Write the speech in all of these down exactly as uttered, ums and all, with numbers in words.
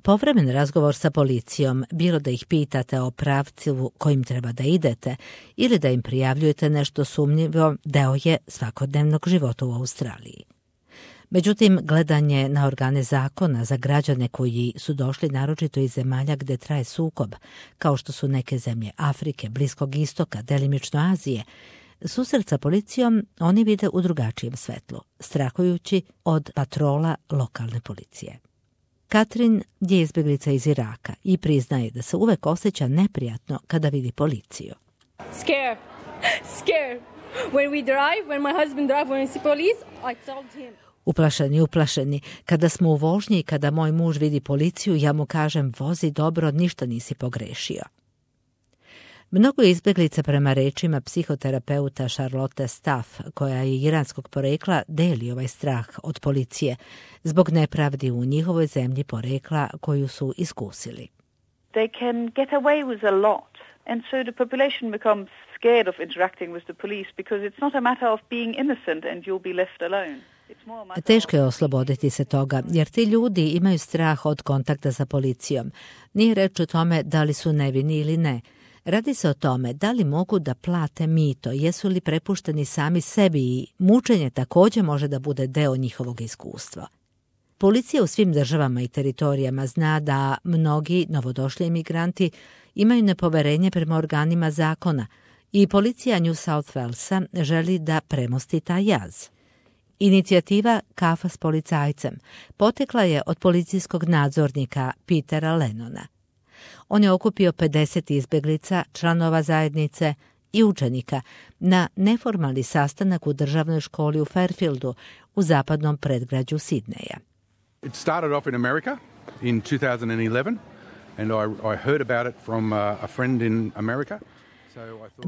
Povremen razgovor sa policijom, bilo da ih pitate o pravcu kojim treba da idete ili da im prijavljujete nešto sumnjivo, deo je svakodnevnog života u Australiji. Međutim, gledanje na organe zakona za građane koji su došli naročito iz zemalja gde traje sukob, kao što su neke zemlje Afrike, Bliskog istoka, delimično Azije, susret sa policijom oni vide u drugačijem svetlu, strahujući od patrola lokalne policije. Katrin je izbjeglica iz Iraka i priznaje da se uvek osjeća neprijatno kada vidi policiju. Scare. Scare. When we drive, when my husband drive, when we see police, I told him. Uplašeni, uplašeni. Kada smo u vožnji i kada moj muž vidi policiju, ja mu kažem, vozi dobro, ništa nisi pogrešio. Mnogo izbjeglica prema rečima psihoterapeuta Charlotte Staff, koja je iranskog porekla, deli ovaj strah od policije zbog nepravdi u njihovoj zemlji porekla koju su iskusili. They can get away with a lot, and so the population becomes scared of interacting with the police because it's not a matter of being innocent and you'll be left alone. Teško je osloboditi se toga, jer ti ljudi imaju strah od kontakta sa policijom. Nije reč o tome da li su nevini ili ne. Radi se o tome da li mogu da plate mito, jesu li prepušteni sami sebi i mučenje također može da bude deo njihovog iskustva. Policija u svim državama i teritorijama zna da mnogi novodošli imigranti imaju nepoverenje prema organima zakona i policija New South Walesa želi da premosti taj jaz. Inicijativa Kafa s policajcem potekla je od policijskog nadzornika Petera Lennona. On je okupio pedeset izbjeglica, članova zajednice i učenika na neformalni sastanak u državnoj školi u Fairfieldu u zapadnom predgrađu Sidneja. It started off in America in two thousand eleven and I, I heard about it from a, a friend in America.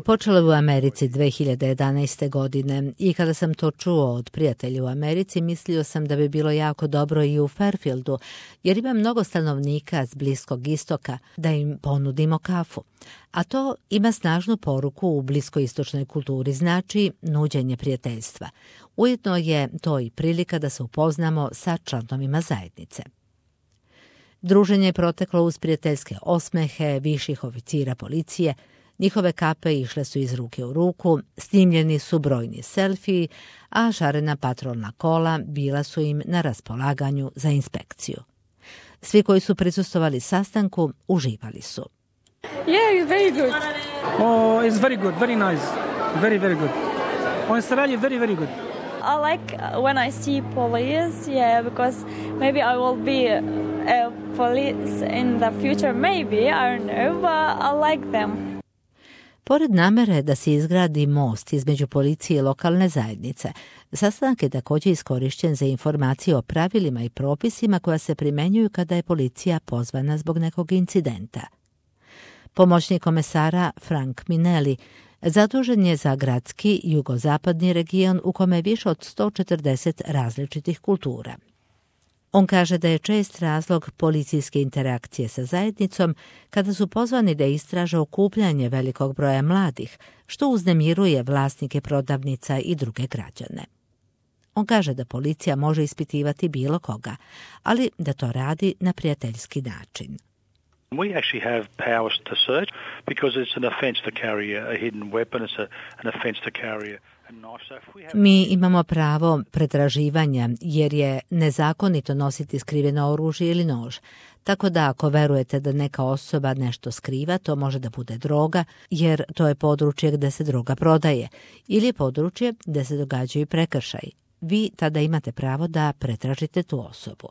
Počelo je u Americi dve hiljade jedanaeste. godine i kada sam to čuo od prijatelja u Americi, mislio sam da bi bilo jako dobro i u Fairfieldu, jer ima mnogo stanovnika s Bliskog istoka, da im ponudimo kafu. A to ima snažnu poruku u bliskoistočnoj kulturi, znači nuđenje prijateljstva. Ujedno je to i prilika da se upoznamo sa članovima zajednice. Druženje je proteklo uz prijateljske osmehe viših oficira policije. Njihove kape išle su iz ruke u ruku, snimljeni su brojni selfiji, a šarena patrolna kola bila su im na raspolaganju za inspekciju. Svi koji su prisustvovali sastanku uživali su. Yeah, it's very good. Oh, it's very good, very nice, very, very good. Australia, very, very good. I like when I see police, yeah, because maybe I will be a police in the future, maybe, I don't know, but I like them. Pored namere da se izgradi most između policije i lokalne zajednice, sastanak je također iskorišćen za informacije o pravilima i propisima koja se primjenjuju kada je policija pozvana zbog nekog incidenta. Pomoćnik komesara Frank Minelli zadužen je za gradski jugozapadni region u kome je više od sto četrdeset različitih kultura. On kaže da je čest razlog policijske interakcije sa zajednicom kada su pozvani da istraže okupljanje velikog broja mladih, što uznemiruje vlasnike prodavnica i druge građane. On kaže da policija može ispitivati bilo koga, ali da to radi na prijateljski način. We actually have powers to search because it's an offence to carry a hidden weapon, it's a, an offence to carry a Mi imamo pravo pretraživanja jer je nezakonito nositi skriveno oružje ili nož. Tako da ako verujete da neka osoba nešto skriva, to može da bude droga, jer to je područje gde se droga prodaje ili je područje gde se događaju prekršaji. Vi tada imate pravo da pretražite tu osobu.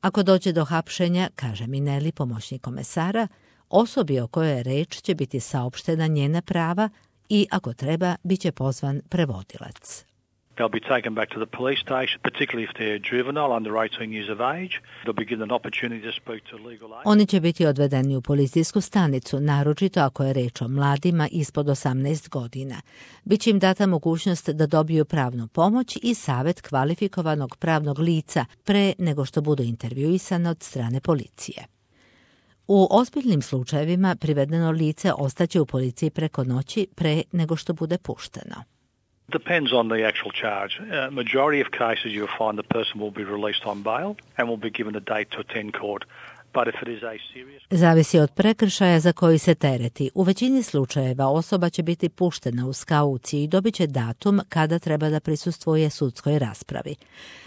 Ako dođe do hapšenja, kaže Minelli, pomoćnik komesara, osobi o kojoj je reč će biti saopštena njena prava i ako treba, bit će pozvan prevodilac. They'll be taken back to the police station, particularly if they're juvenile under eighteen years of age. They'll be given an opportunity to speak to legal aid. Oni će biti odvedeni u policijsku stanicu, naročito ako je reč o mladima ispod osamnaest godina. Biće im data mogućnost da dobiju pravnu pomoć i savjet kvalifikovanog pravnog lica pre nego što budu intervjuisani od strane policije. U ozbiljnim slučajevima privedeno lice ostaće u policiji preko noći pre nego što bude pušteno. Depends on the actual charge. Uh, majority of cases you'll find the person will be released on bail and will be given a date to attend court. But if it is a serious... Zavisi od prekršaja za koji se tereti. U većini slučajeva osoba će biti puštena uz kauciju i dobit će datum kada treba da prisustvuje sudskoj raspravi.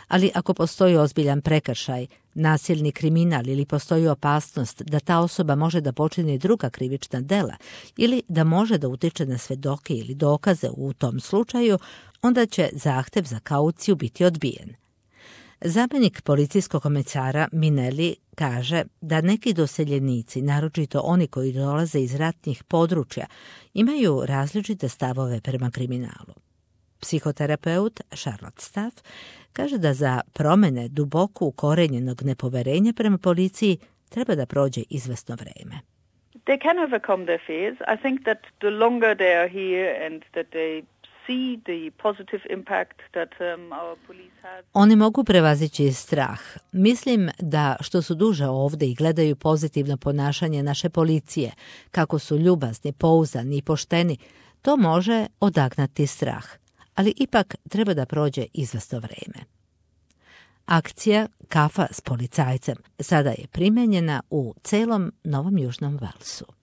Ali ako postoji ozbiljan prekršaj, nasilni kriminal ili postoji opasnost da ta osoba može da počini druga krivična dela ili da može da utiče na svedoke ili dokaze u tom slučaju, onda će zahtev za kauciju biti odbijen. Zamjenik policijskog komisara Minelli kaže da neki doseljenici, naročito oni koji dolaze iz ratnih područja, imaju različite stavove prema kriminalu. Psihoterapeut Charlotte Staff kaže da za promjene duboko ukorenjenog nepoverenja prema policiji treba da prođe izvesno vreme. They can overcome their fears. I think that the longer they are here and that they see the positive impact that um, our police has. Oni mogu prevazići strah. Mislim da što su duže ovdje i gledaju pozitivno ponašanje naše policije, kako su ljubazni, pouzdani i pošteni, to može odagnati strah. Ali ipak treba da prođe izvesno vreme. Akcija Kafa s policajcem sada je primenjena u celom Novom Južnom Velsu.